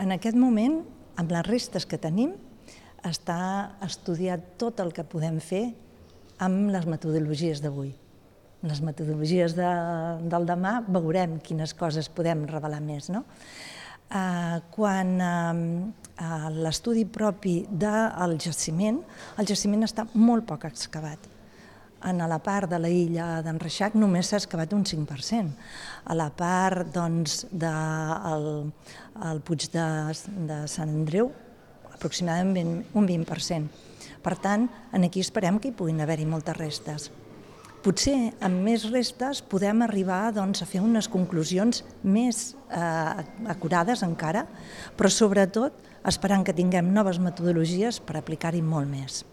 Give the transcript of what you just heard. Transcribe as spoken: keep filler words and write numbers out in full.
En aquest moment, amb les restes que tenim, està estudiat tot el que podem fer amb les metodologies d'avui. Les metodologies de, del demà veurem quines coses podem revelar més. No? Eh, quan eh, l'estudi propi del jaciment, el jaciment està molt poc excavat. En la part de la illa d'en Reixac només s'ha excavat un cinc per cent. A la part doncs, del el Puig de, de Sant Andreu, aproximadament un vint per cent. Per tant, aquí esperem que hi puguin haver-hi moltes restes. Potser amb més restes podem arribar doncs, a fer unes conclusions més eh, acurades encara, però sobretot esperant que tinguem noves metodologies per aplicar-hi molt més.